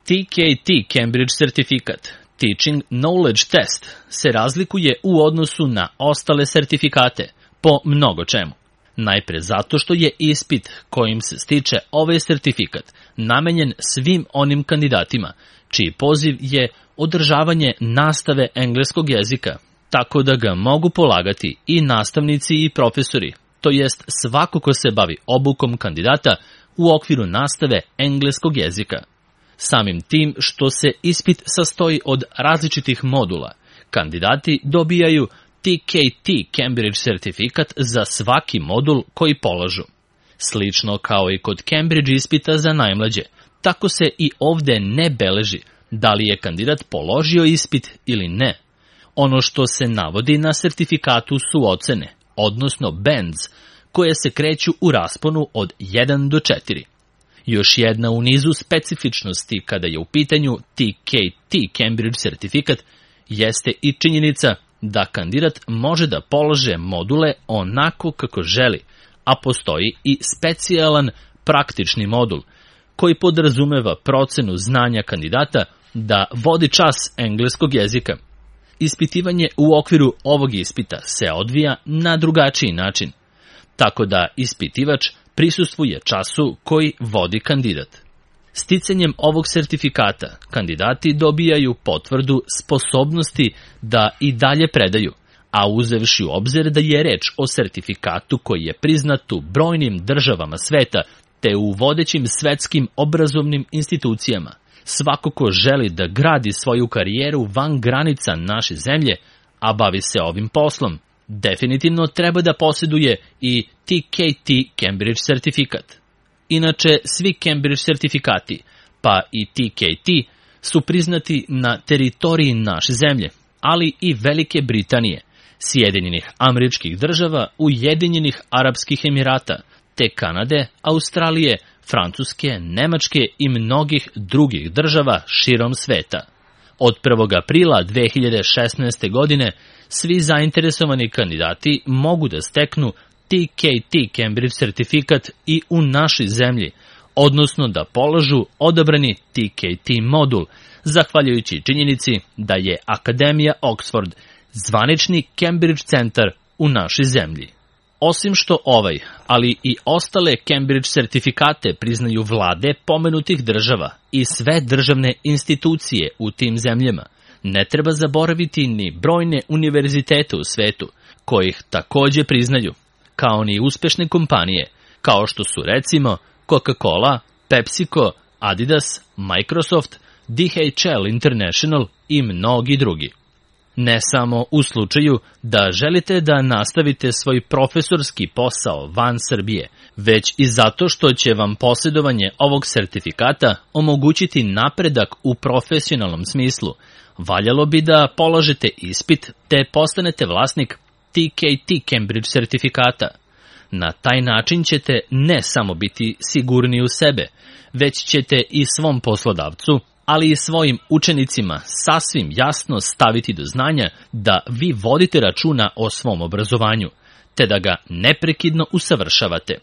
TKT Cambridge sertifikat, Teaching Knowledge Test, se razlikuje u odnosu na ostale sertifikate po mnogo čemu. Najpre zato što je ispit kojim se stiče ovaj sertifikat namenjen svim onim kandidatima čiji poziv je održavanje nastave engleskog jezika, tako da ga mogu polagati i nastavnici i profesori, to jest svako ko se bavi obukom kandidata u okviru nastave engleskog jezika. Samim tim što se ispit sastoji od različitih modula, kandidati dobijaju TKT Cambridge sertifikat za svaki modul koji polažu. Slično kao i kod Cambridge ispita za najmlađe, tako se i ovde ne beleži da li je kandidat položio ispit ili ne. Ono što se navodi na sertifikatu su ocene, odnosno bands, koje se kreću u rasponu od 1 do 4. Još jedna u nizu specifičnosti kada je u pitanju TKT Cambridge sertifikat jeste i činjenica da kandidat može da polaže module onako kako želi, a postoji i specijalan praktični modul koji podrazumeva procenu znanja kandidata da vodi čas engleskog jezika. Ispitivanje u okviru ovog ispita se odvija na drugačiji način, tako da ispitivač prisustvuje času koji vodi kandidat. Sticanjem ovog sertifikata kandidati dobijaju potvrdu sposobnosti da i dalje predaju, a uzevši u obzir da je reč o sertifikatu koji je priznat u brojnim državama sveta te u vodećim svetskim obrazovnim institucijama. Svako ko želi da gradi svoju karijeru van granica naše zemlje, a bavi se ovim poslom, definitivno treba da posjeduje i TKT Cambridge sertifikat. Inače, svi Cambridge sertifikati, pa i TKT, su priznati na teritoriji naše zemlje, ali i Velike Britanije, Sjedinjenih Američkih Država, Ujedinjenih Arapskih Emirata, te Kanade, Australije, Francuske, Nemačke i mnogih drugih država širom sveta. Od 1. aprila 2016. godine svi zainteresovani kandidati mogu da steknu TKT Cambridge sertifikat i u našoj zemlji, odnosno da polažu odabrani TKT modul, zahvaljujući činjenici da je Akademija Oxford zvanični Cambridge centar u našoj zemlji. Osim što ovaj, ali i ostale Cambridge sertifikate priznaju vlade pomenutih država i sve državne institucije u tim zemljama, ne treba zaboraviti ni brojne univerzitete u svetu, kojih takođe priznaju, kao ni uspešne kompanije, kao što su recimo Coca-Cola, PepsiCo, Adidas, Microsoft, DHL International i mnogi drugi. Ne samo u slučaju da želite da nastavite svoj profesorski posao van Srbije, već i zato što će vam posjedovanje ovog sertifikata omogućiti napredak u profesionalnom smislu. Valjalo bi da polažete ispit te postanete vlasnik TKT Cambridge sertifikata. Na taj način ćete ne samo biti sigurni u sebe, već ćete i svom poslodavcu, ali i svojim učenicima sasvim jasno staviti do znanja da vi vodite računa o svom obrazovanju, te da ga neprekidno usavršavate.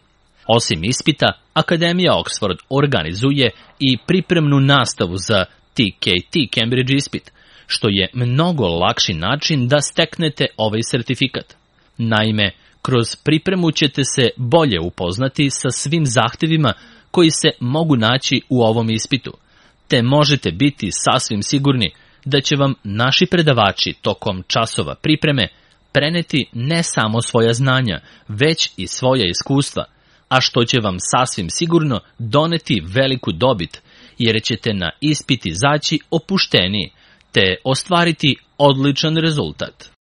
Osim ispita, Akademija Oxford organizuje i pripremnu nastavu za TKT Cambridge ispit, što je mnogo lakši način da steknete ovaj sertifikat. Naime, kroz pripremu ćete se bolje upoznati sa svim zahtevima koji se mogu naći u ovom ispitu, te možete biti sasvim sigurni da će vam naši predavači tokom časova pripreme preneti ne samo svoja znanja, već i svoja iskustva, a što će vam sasvim sigurno doneti veliku dobit, jer ćete na ispit izaći opušteniji, te ostvariti odličan rezultat.